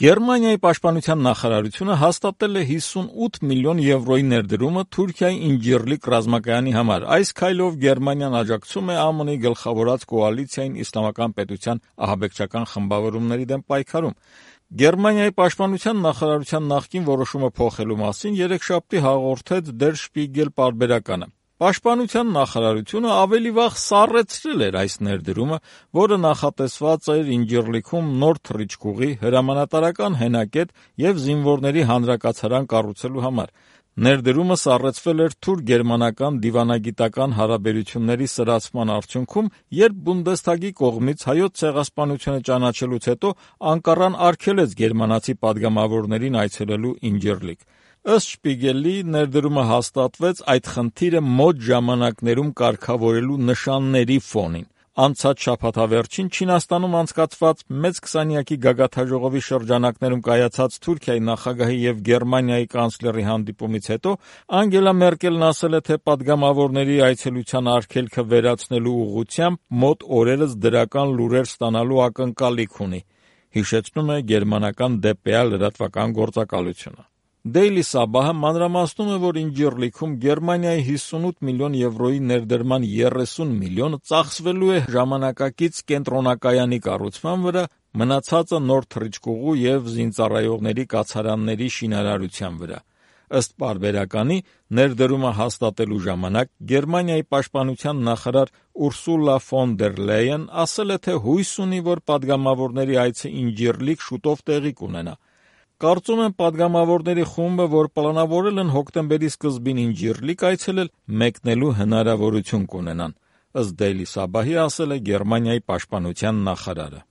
Գերմանիայի պաշտպանության նախարարությունը հաստատել է 58 միլիոն եվրոյի ներդրումը Թուրքիայի Ինջիրլիկ ռազմակայանի համար։ Այս քայլով Գերմանիան աջակցում է ԱՄՆ-ի գլխավորած կոալիցիային իսլամական պետության ահաբեկչական խմբավորումների դեմ պայքարում։ Գերմանիայի պաշտպանության նախարարության նախկին որոշումը փոխելու մասին երեքշաբթի հաղորդեց Der Spiegel պարբերականը։ Պաշտպանության նախարարությունը ավելի վաղ սառեցրել էր այս ներդրումը, որը նախատեսված էր Ինջիրլիքում նոր թռիչքուղի, հրամանատարական հենակետ և զինվորների հանրակացարան կառուցելու համար։ Ներդրումը սառեցվել էր թուրք-գերմանական դիվանագիտական հարաբերությունների սրացման արդյունքում, երբ Բունդեսթագի կողմից Հայոց ցեղասպանությունը ճանաչելուց հետո Անկարան արգելեց գերմանացի պատգամավորներին այցելելու Ինջիրլիկ։ Ըստ Շպիգելի, ներդրումը հաստատվեց այդ խնդիրը մոտ ժամանակներում կարգավորելու նշանների ֆոնին։ Անցած շաբաթավերջին Չինաստանում անցկացված մեծ քսանյակի գագաթնաժողովի շրջանակներում կայացած Թուրքիայի նախագահի և Գերմանիայի կանցլերի հանդիպումից հետո Անգելա Մերկելն ասել է, թե պատգամավորների այցելության արգելքը վերացնելու ուղղությամբ մոտ օրերս դրական լուրեր ստանալու ակնկալիք ունի, հիշեցնում է գերմանական DPA լրատվական գործակալությունը։ Daily Sabah-ը մանրամասնում է, որ Ինջիրլիքում Գերմանիայի 58 միլիոն եվրոյի ներդրման 30 միլիոնը ծախսվելու է ժամանակակից կենտրոնակայանի կառուցման վրա, մնացածը նոր թռիչքուղու և զինծառայողների կացարանների շինարարության վրա։ Ըստ պարբերականի, ներդրումը հաստատելու ժամանակ Գերմանիայի պաշտպանության նախարար Ուրսուլա ֆոն դեր Լեյեն ասել է, թե հույս ունի, որ պատգամավորների այցը Ինջիրլիկ շուտով տեղի կունենա։ Կարծում եմ, պատգամավորների խումբը, որ պլանավորել են հոկտեմբերի սկզբին Ինջիրլիկ այցելել, մեկնելու հնարավորություն կունենան, ըստ Daily Sabah-ի ասել է Գերմանիայի պաշտպանության նախարարը։